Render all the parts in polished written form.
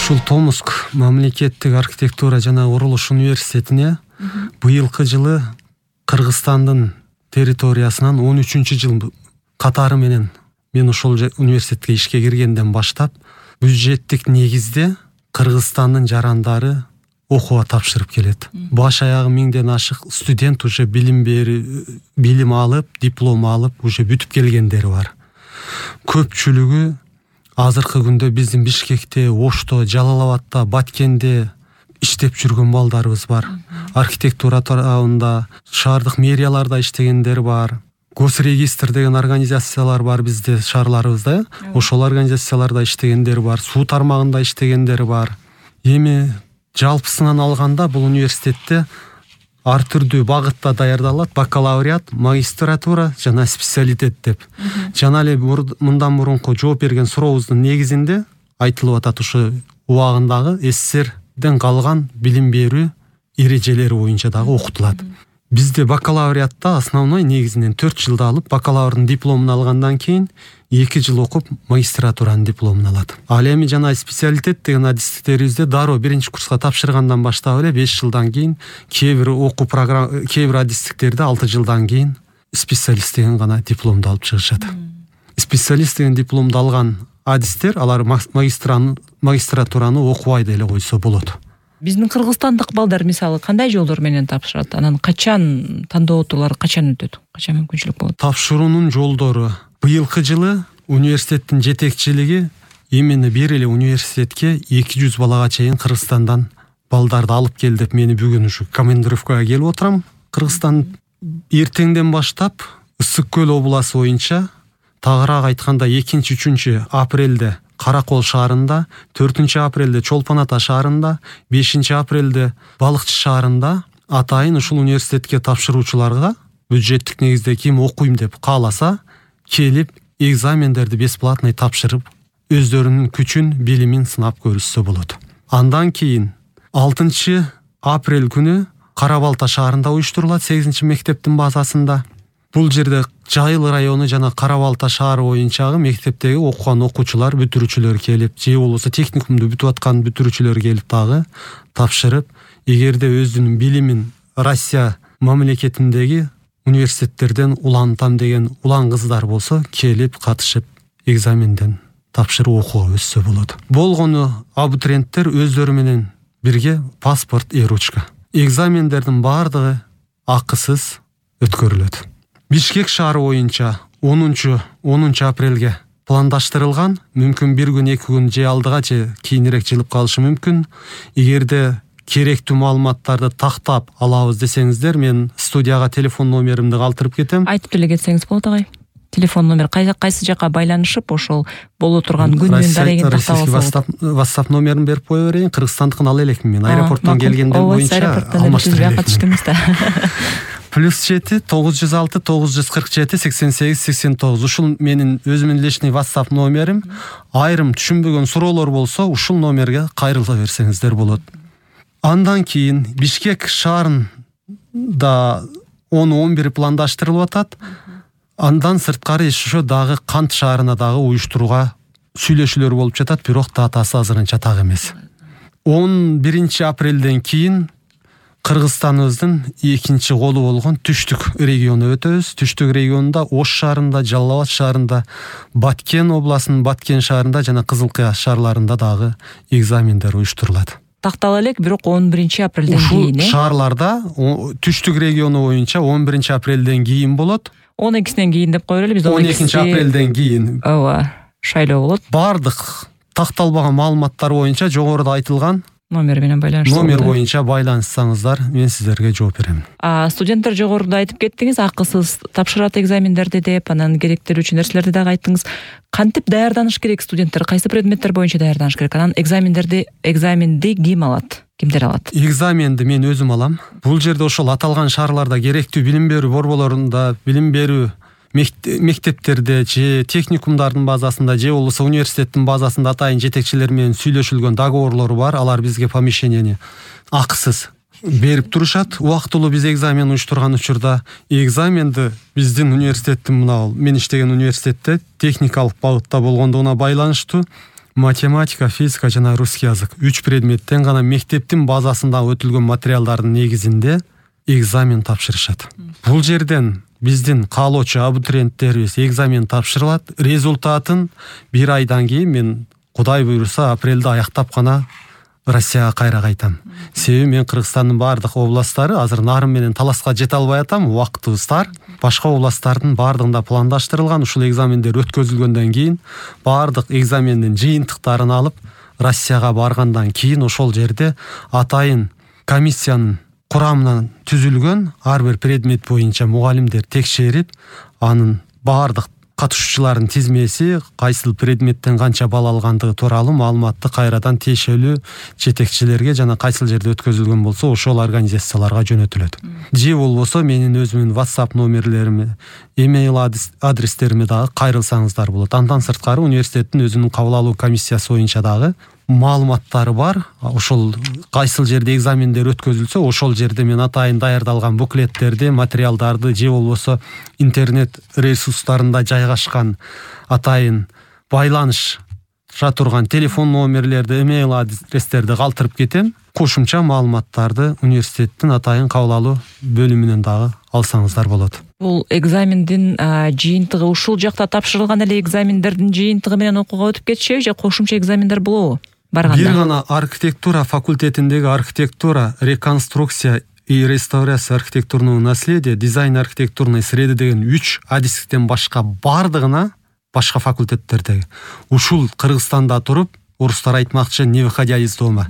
Ушул Томск мамлекеттик архитектура жана курулуш университетине быйылкы жылы Кыргызстандын территориясынан 13-жыл катары менен мен ошол университетке ишке киргенден баштап бюджеттик негизде Кыргызстандын жарандары окууга тапшырып келет. Баш аягы 1000ден ашык студент уже билим алып, диплом алып, уже бүтүп келгендери бар. Көпчүлүгү азыркы күндө биздин Бишкекте, Ошто, Жалал-Абадта, Баткенде иштеп жүргөн балдарыбыз бар. Архитектура тарабында, шаардык мэрияларда иштегендер бар. Госрегистр деген организациялар бар бизде шаарларыбызда. Ошол организацияларда иштегендер бар. Суу тармагында иштегендер бар. Эми жалпысынан алганда бул университетте ар түрдүү багытта даярдалат: бакалавриат, магистратура жана специалитет деп. Жана эле мындан мурунку жооп берген сурообуздун негизинде айтылып атат, ушу убагындагы СССРден калган билим берүү эрежелери боюнча дагы окутулат. Бизде бакалавриатта основной негизинен 4 жылда алып, бакалаврдын дипломун алгандан кийин 2 жыл окуп, магистратуранын дипломун алат. Ал эми жана специалитет деген адистиктерибизде дароо 1-курска тапшыргандан баштап эле 5 жылдан кийин, кээ бир адистиктерде 6 жылдан кийин специалист деген гана дипломду алып чыгышат. Специалист деген дипломду алган адистер, алар магистратураны окубай деле койсо болот. Биздин кыргызстандык балдар мисалы кандай жолдор менен тапшырат? Анан качан тандоо отуулары качан өтөт? Качан мүмкүнчүлүк болот? Тапшыруунун жолдору быйылкы жылы университеттин жетекчилиги именно бир эле университетке 200 балага чейин Кыргызстандан балдарды алып кел деп мени бүгүн ушу командировкага келип отурам. Кыргызстан эртеңден баштап Ысык көл областы боюнча, тагыраак айтканда 2-3 апрелде Каракол шаарында, 4 апрелде Чолпон Ата шаарында, 5 апрелде Балыкчы шаарында атайын ушул университетке тапшыруучуларга бюджеттик негизде ким окуйм деп кааласа келип экзамендерди бесплатный тапшырып, өздөрүнүн күчүн, билимин сынап көрүшсө болот. Андан кийин 6 апрель күнү Кара Балта шаарында уюштурулат 8 мектептин базасында. Бул жерде Жайыл району жана Кара Балта шаары боюнчагы мектептеги окуган окуучулар, бүтүрүүчүлөр келип, же болбосо техникумду бүтүп аткан бүтүрүүчүлөр келип дагы тапшырып, эгерде өзүнүн билимин Россия мамлекетиндеги университеттерден улантам деген улан кыздар болсо, келип катышып экзаменден тапшырып окууга өссө болот. Болгону абитуриенттер өздөрү менен бирге паспорт и ручка. Экзамендердин баардыгы акысыз өткөрүлөт. Бишкек шаары боюнча 10 апрелге пландаштырылган, мүмкүн 1 күн 2 күн же алдыга же кийинирээк жылып калышы мүмкүн. Эгерде керектүү маалыматтарды тактап алабыз десеңиздер, мен студияга телефон номеримди калтырып кетем. Айтып деле кетсеңиз болот агай. Телефон номер кайсы жака байланышып, ошол боло турган күнүн дарегин тактап алсаңыз. WhatsApp номерин берип кое берейин. Кыргызстандыкын ала элекмин мен. Аэропорттон келгенден боюнча алмаштырып катыштыңыз да. +7 906 947 88 89. Ушул менин өзүмдүн личный WhatsApp номерим. Айрым түшүнбөгөн суроолор болсо, ушул номерге кайрыла берсеңиздер болот. Андан кийин Бишкек шаарында 10-11 пландаштырылып атат. Андан сырткары ошо дагы Кант шаарына дагы уюштурууга сүйлөшүүлөр болуп жатат, бирок датасы азырынча так эмес. 11 апрелден кийин Кыргызстаныбыздын экинчи колу болгон Түштүк региону өтөбүз. Түштүк регионунда Ош шаарында, Жалал-Абад шаарында, Баткен областынын Баткен шаарында жана Кызыл Кыя шаарларында дагы экзамендер уюштурулат. Тактала элек, бирок 11 апрелден кийин. Ушул шаарларда Түштүк региону боюнча 11 апрелден кийин болот. 12-синен кийин деп коелу, биз 12 апрелден кийин. Ооба, шайлоо болот. Бардык такталбаган маалыматтар боюнча жогоруда айтылган номер менен байланышсаңыздар. Номер боюнча байланышсаңыздар, мен сиздерге жооп берем. Студенттер жогоруда айтып кеттиңиз, акысыз тапшырат экзамендерди деп, анан керектелүүчү нерселерди дагы айттыңыз. Кантип даярданыш керек студенттер? Кайсы предметтер боюнча даярданыш керек? Анан экзаменди ким алат? Кимдер алат? Экзаменди мен өзүм алам. Бул жерде ошол аталган шаарларда керектүү билим берүү борборлорунда, билим берүү мектептерде же техникумдардын базасында же болбосо университеттин базасында атайын жетекчилер менен сүйлөшүлгөн договорлору бар. Алар бизге помещениени акысыз берип турушат. Убактылуу биз экзамен уюштурган учурда экзаменди биздин университеттин мен иштеген университетте техникалык багытта болгондугуна байланыштуу математика, физика жана русский язык 3 предметтен гана мектептин базасында өтүлгөн материалдардын негизинде экзамен тапшырышат. Бул жерден биздин каалоочу абитуриенттерибиз экзамен тапшырылат. Результатын 1 айдан кийин мен Кудай буйруса апрелде аяктап гана Россияга кайра кайтам. Себеби мен Кыргызстандын бардык областтары азыр Нарын менен Таласка жете албай атам, убактыбыз тар. Башка областтардын бардыгында пландаштырылган. Ушул экзамендер өткөзүлгөндөн кийин бардык экзамендин жыйынтыктарын алып Россияга баргандан кийин ошол жерде атайын комиссиянын курамынан түзүлгөн ар бир предмет боюнча мугалимдер текшерип, анын бардык катышуучулардын тизмеси, кайсыл предметтен канча балл алгандыгы тууралуу маалыматты кайрадан тиешелүү жетекчилерге жана кайсыл жерде өткөзүлгөн болсо ошол организацияларга жөнөтүлөт. Же болбосо менин өзүмдүн WhatsApp номерлериме, email адрестериме дагы кайрылсаңыздар болот. Андан сырткары университеттин өзүнүн кабыл алуу комиссиясы боюнча дагы маалыматтары бар. Ошол кайсыл жерде экзамендер өткөзүлсө, ошол жерде мен атайын даярдалган буклеттерди, материалдарды же болбосо интернет ресурстарында жайгашкан атайын байланыша турган телефон номерлерди, эмейл адрестерди калтырып кетем. Кошумча маалыматтарды университеттин атайын кабыл алуу бөлүмүнөн дагы алсаңыздар болот. Бул экзамендин жыйынтыгы ушул жакта тапшырылган эле экзамендердин жыйынтыгы менен окууга өтүп кетишеби же кошумча экзамендер болобу? Бир гана архитектура факультетиндеги архитектура, реконструкция и реставрация архитектурного наследия, дизайн архитектурной среды деген 3 адистиктен башка бардыгына башка факультеттердеги ушул Кыргызстанда туруп, орустар айтмакчы, не выходя из дома,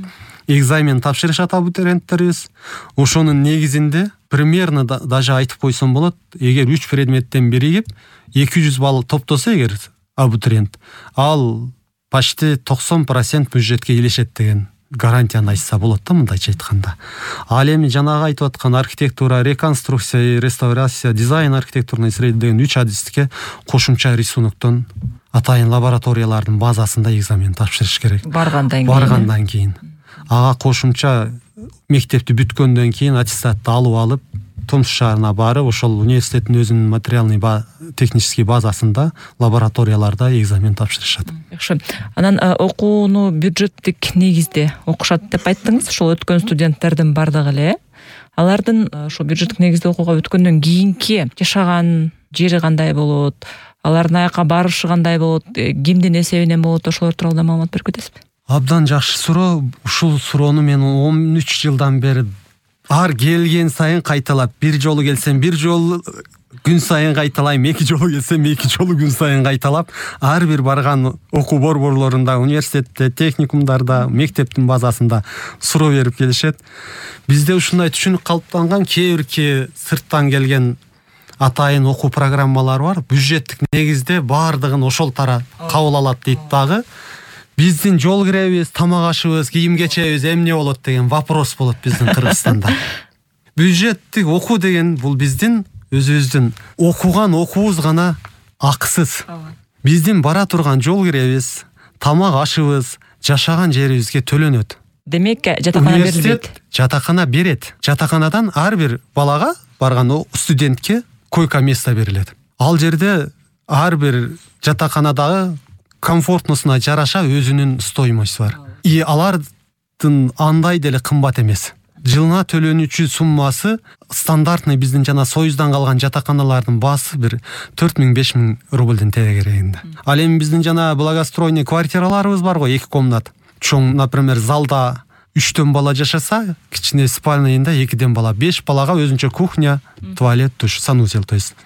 экзамен тапшырышат абитуриенттерибиз. Ошонун негизинде примерно даже айтып койсом болот, эгер 3 предметтен биригип 200 балл топтосо эгер абитуриент, ал почти 90% бюджетке келишет деген гарантияны айтса болот да, мындайча айтканда. Ал эми жанагы айтып аткан архитектура, реконструкция и реставрация, дизайн архитектурной среды деген 3 адистикке кошумча рисуноктон атайын лабораториялардын базасында экзамен тапшырыш керек. Баргандан кийин. Ага кошумча мектепти бүткөндөн кийин аттестатты алып Томск шаарына барып, ошол университеттин өзүнүн материальный технический базасында лабораторияларда экзамен тапшырышат. Жакшы. Анан окууну бюджеттик негизде окушат деп айттыңыз. Ошол өткөн студенттердин бардыгы эле алардын ошо бюджеттик негизде окууга өткөндөн кийинки жашаган жери кандай болот? Алардын аяка барышы кандай болот? Кимдин эсебинен болот? Ошолор тууралуу маалымат берип кетесизби? Абдан жакшы суроо. Ушул суроону мен 13 жылдан бери ар келген сайын кайталап, бир жолу келсем бир жолу күн сайын кайталайм, 2 жолу келсем 2 жолу күн сайын кайталап, ар бир барган окуу борборлорунда, университетте, техникумдарда, мектептин базасында суроо берип келишет. Бизде ушундай түшүнүк калыптанган, кээ-бирки сырттан келген атайын окуу программалар бар. Бюджеттик негизде бардыгын ошол тара кабыл алат дейт дагы. Биздин жол киребиз, тамак ашыбыз, кийим кечебиз эмне болот деген вопрос болот биздин Кыргызстанда. Бюджеттик окуу деген бул биздин өзүбүздүн окуган окуубуз гана акысыз. Биздин бара турган жол киребиз, тамак ашыбыз, жашаган жерибизге төлөнөт. Демек, жатакана берилбейт. Жатакана берет. Жатаканадан ар бир балага барган студентке койка место берилет. Ал жерде ар бир жатаканадагы комфортносуна жараша өзүнүн стоимость бар. И алардын андай деле кымбат эмес. Жылына төлөнүүчү суммасы стандартный биздин жана Союздан калган жатаканалардын баасы бир 4000-5000 рубльден тегерегинде. Ал эми биздин жана благоустроенный квартираларыбыз бар го, 2 комнат. Чоң, например, залда 3 бала жашаса, кичине спальныйында 2 бала, 5 балага өзүнчө кухня, туалет, душ, санузел, то есть.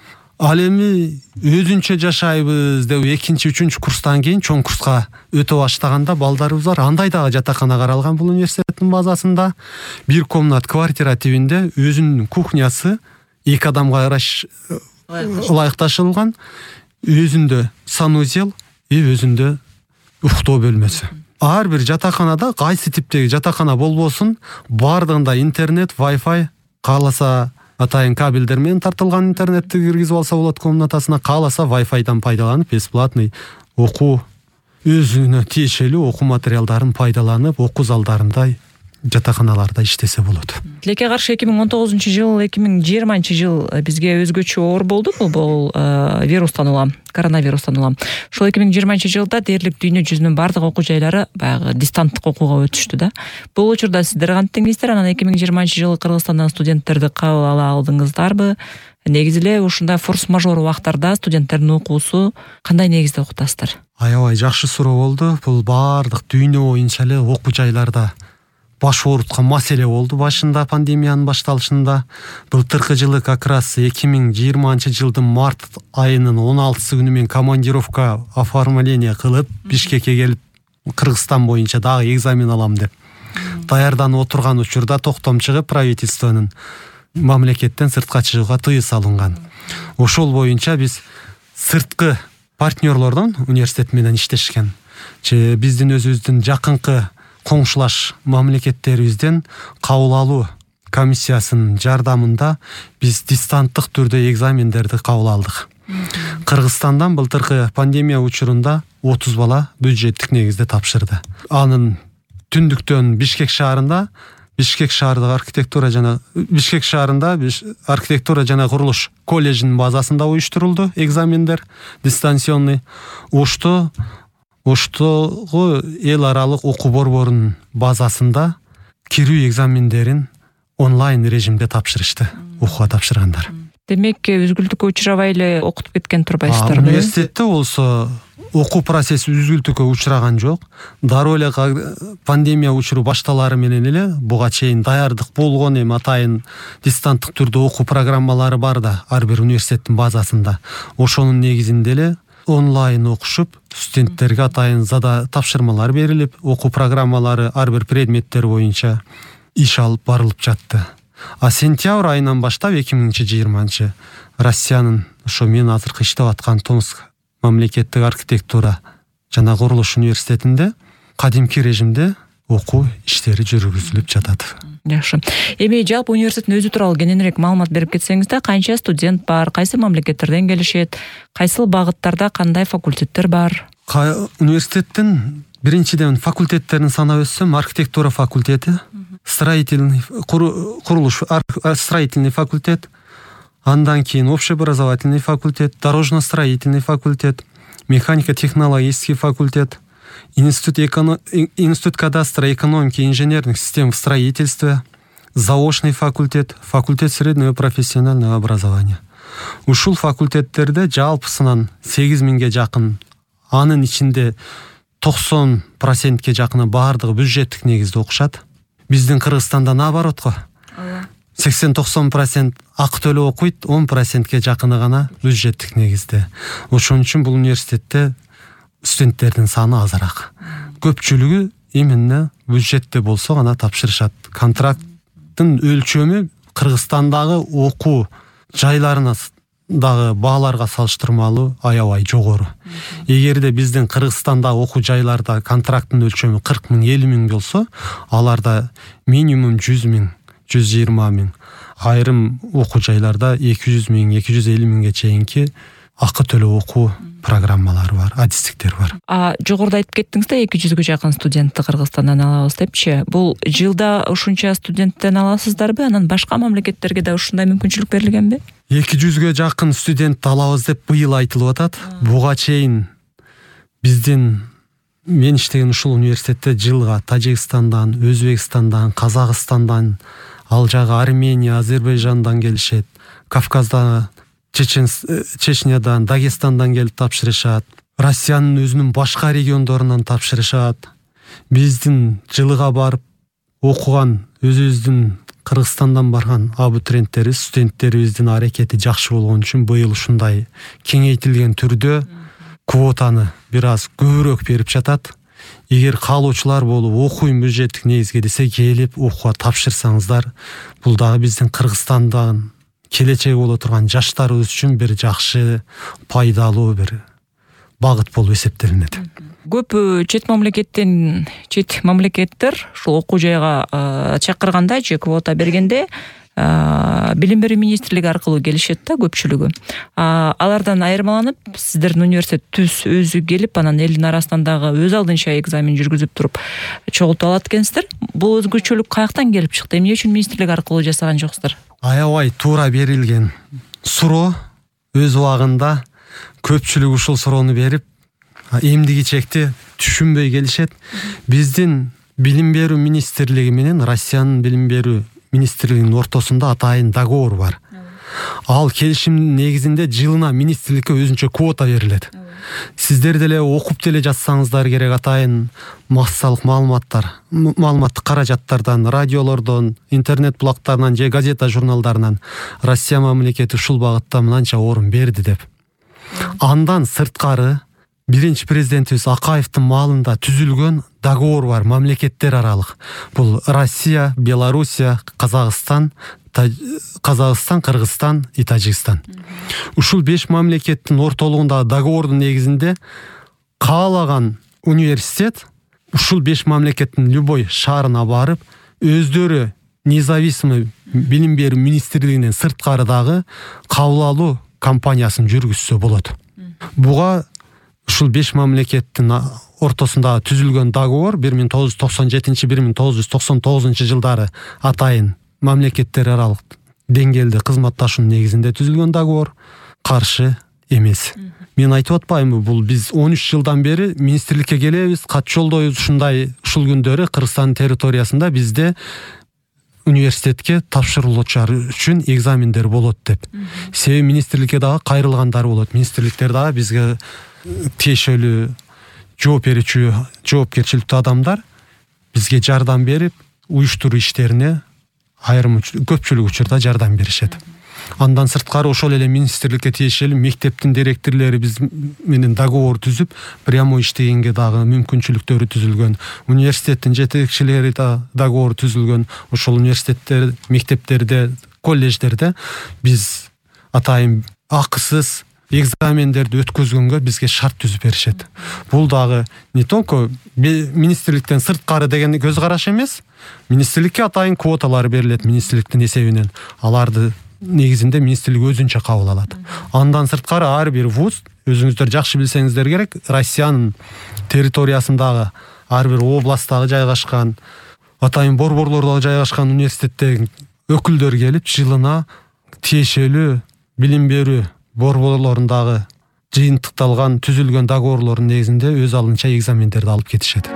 Ал эми өзүнчө жашайбыз деп 2-3 курстан кийин чоң курска өтө баштаганда балдарыбыз бар. Андай дагы жатакана каралган бул университеттин базасында. 1 комнат квартира тибинде өзүнүн кухнясы 2 адамга ылайыкташылган, өзүндө санузел и өзүндө уктоо бөлмөсү. Ар бир жатаканада кайсы типтеги жатакана болбосун, бардыгында интернет, Wi-Fi, кааласа атайын кабелдер менен тартылган интернетти киргизип алса болот комнатасына, кааласа Wi-Fi'дан пайдаланып, бесплатный окуу, өзүнө тиешелүү окуу материалдарын пайдаланып, окуу залдарында жатаканаларда иштесе болот. Тилекке каршы 2019-жыл, 2020-жыл бизге өзгөчө оор болду. Бул вирустан улам, коронавирустан улам. Ошол 2020-жылда дээрлик дүйнө жүзүнүн бардык окуу жайлары баягы дистанттык окууга өтүштү да. Бул учурда сиздер кантиңиздер? Анан 2020-жылы Кыргызстандан студенттерди кабыл ала алдыңыздарбы? Негизи эле ушундай форс-мажор убактарда студенттердин окуусу кандай негизде окутасыздар? Аябай жакшы суроо болду. Бул бардык дүйнө боюнча эле окуу жайларда баш ооруткан маселе болду башында, пандемиянын башталышында. Былтыркы жылы как раз 2020-жылдын март айынын 16 күнү мен командировка оформление кылып Бишкекке келип Кыргызстан боюнча дагы экзамен алам деп даярданып отурган учурда токтом чыгып правительствонун мамлекеттен сыртка чыгууга тыюу салынган. Ошол боюнча биз сырткы партнерлордон университет менен иштешкен. Биздин өзүбүздүн жакынкы коңшулаш мамлекеттерибизден кабыл алуу комиссиясынын жардамында биз дистанттык түрдө экзамендерди кабыл алдык. Кыргызстандан былтыркы пандемия учурунда 30 бала бюджеттик негизде тапшырды. Анын түндүктөн Бишкек шаарында архитектура жана курулуш колледжинин базасында уюштурулду экзамендер дистанционный. Оштогу эл аралык окуу борборунун базасында кирүү экзамендерин онлайн режимде тапшырышты окууга тапшыргандар. Демек, үзгүлтүккө учурабай эле окутуп кеткен турбайсыздарбы? Университетте болсо окуу процесси үзгүлтүккө учураган жок. Дароо эле пандемия учуру башталары менен эле буга чейин даярдык болгон, эми атайын дистанттык түрдө окуу программалары бар да ар бир университеттин базасында. Ошонун негизинде эле онлайн окушуп, студенттерге атайын тапшырмалар берилип, окуу программалары ар бир предметтер боюнча иш алып барылып жатты. Сентябрь айынан баштап 2020 Россиянын ошо мен азыркы иштеп аткан Томск мамлекеттик архитектура жана курулуш университетинде кадимки режимде окуу иштери жүргүзүлүп жатат. Жакшы. Эми жалпы университеттин өзү тууралуу кененирээк маалымат берип кетсеңиз да, канча студент бар, кайсы мамлекеттерден келишет, кайсыл багыттарда кандай факультеттер бар? Университеттин биринчиден факультеттерин санап өтсөм, архитектура факультети, строительный факультет, андан кийин общеобразовательный факультет, дорожно-строительный факультет, механико-технологический факультет, институт кадастра, экономики и инженерных систем в строительстве, заочный факультет, факультет среднего профессионального образования. Ушул факультеттерде жалпысынан 8000ге жакын, анын ичинде 90%ке жакыны бардыгы бюджеттик негизде окушат. Биздин Кыргызстанда наоборотко. 80-90% акы төлөп окуйт, 10%ке жакыны гана бюджеттик негизде. Ошон үчүн бул университетте студенттердин саны азыраак. Көпчүлүгү именно бюджетте болсо гана тапшырышат. Контракттын өлчөмү Кыргызстандагы окуу жайларына дагы бааларга салыштырмалуу аябай жогору. Эгерде биздин Кыргызстанда окуу жайларда контракттын өлчөмү 40 000, 50 000 болсо, аларда минимум 100 000, 120 000, айрым окуу жайларда 200 000, 250 000ге чейинки акы төлөп окуу программалары бар, адистиктер бар. Жогоруда айтып кеттиңиз да, 200ге жакын студентти Кыргызстандан алабыз депчи. Бул жылда ушунча студенттен аласыздарбы? Анан башка мамлекеттерге да ушундай мүмкүнчүлүк берилгенби? 200ге жакын студент алабыз деп быйыл айтылып атат. Буга чейин мен иштеген ушул университетте жылга Тажикстандан, Өзбекстандан, Казакстандан, ал жагы Армения, Азербайжандан келишет. Кавказдан, Чечнядан, Дагестандан келип тапшырышат. Россиянын өзүнүн башка региондорунан тапшырышат. Биздин жылга барып окуган өзүбүздүн Кыргызстандан барган абитуриенттерибиз, студенттерибиздин аракети жакшы болгон үчүн быйыл ушундай кеңейтилген түрдө квотаны бир аз көбүрөөк берип жатат. Эгер каалоочулар болуп окуйм бюджеттик негизге десе, келип окууга тапшырсаңыздар, бул дагы биздин Кыргызстандан келечеги боло турган жаштарыбыз үчүн бир жакшы, пайдалуу бир багыт болуп эсептелинет. Көп чет мамлекеттер ушул окуу жайга чакырганда же квота бергенде билим берүү министрлиги аркылуу келишет да көпчүлүгү. Алардан айырмаланып сиздердин университет түз өзү келип анан элдин арасынан дагы өз алдынча экзамен жүргүзүп туруп чогултуп алат экенсиздер. Бул өзгөчөлүк каяктан келип чыкты? Эмне үчүн министрлик аркылуу жасаган жоксуздар? Аябай туура берилген суроо. Өз убагында көпчүлүк ушул суроону берип, эмдиги чекти түшүнбөй келишет. Биздин билим берүү министрлиги менен Россиянын билим берүү министрлигинин ортосунда атайын договор бар. Ал келишимдин негизинде жылына министрликке өзүнчө квота берилет. Сиздер деле окуп деле жатсаңыздар керек, атайын массалык маалыматтык каражаттардан, радиолордон, интернет булактарынан же газета журналдарынан Россия мамлекети ушул багытта мынанча орун берди деп. Андан сырткары биринчи президентибиз Акаевдин маалында түзүлгөн договор бар, мамлекеттер аралык. Бул Россия, Белоруссия, Казакстан, Кыргызстан и Тажикстан. Ушул 5 мамлекеттин ортолугундагы договордун негизинде каалаган университет ушул 5 мамлекеттин любой шаарына барып, өздөрү независимый билим берүү министрлигинен сырткары дагы кабыл алуу компаниясын жүргүзсө болот. Буга ушул 5 мамлекеттин ортосунда түзүлгөн договор 1997-1999 жылдары атайын мамлекеттер аралык деңгээлде кызматташуунун негизинде түзүлгөн договор, каршы эмес. Мен айтып атпаймынбы, бул биз 13 жылдан бери министрликке келебиз, кат жолдойбуз, ушул күндөрү Кыргызстан территориясында бизде университетке тапшырылуучулар үчүн экзамендер болот деп. Себеби министрликке дагы кайрылгандар болот. Министрликтер дагы бизге тиешелүү жооп берүүчү жоопкерчиликтүү адамдар бизге жардам берип, уюштуруу иштерине көпчүлүк учурда жардам беришет. Андан сырткары ошол эле министрликке тиешелүү мектептин директорлору биз менен договор түзүп, прямой иштегенге дагы мүмкүнчүлүктөрү түзүлгөн. Университеттин жетекчилери да договор түзүлгөн. Ошол университеттер, мектептерде, колледждерде биз атайын акысыз экзамендерди өткөзгөнгө бизге шарт түзүп беришет. Бул дагы не только министрликтен сырткары деген көз караш эмес. Министрликке атайын квоталар берилет министрликтин эсебинен. Аларды негизинде министрлик өзүнчө кабыл алат. Андан сырткары ар бир вуз, өзүңүздөр жакшы билсеңиздер керек, Россиянын территориясындагы ар бир областтагы жайгашкан, атайын борборлордо жайгашкан университеттен өкүлдөр келип, жылына тиешелүү билим берүү борборлорундагы жыйынтыкталган түзүлгөн договорлордун негизинде өз алдынча экзамендерди алып кетишет.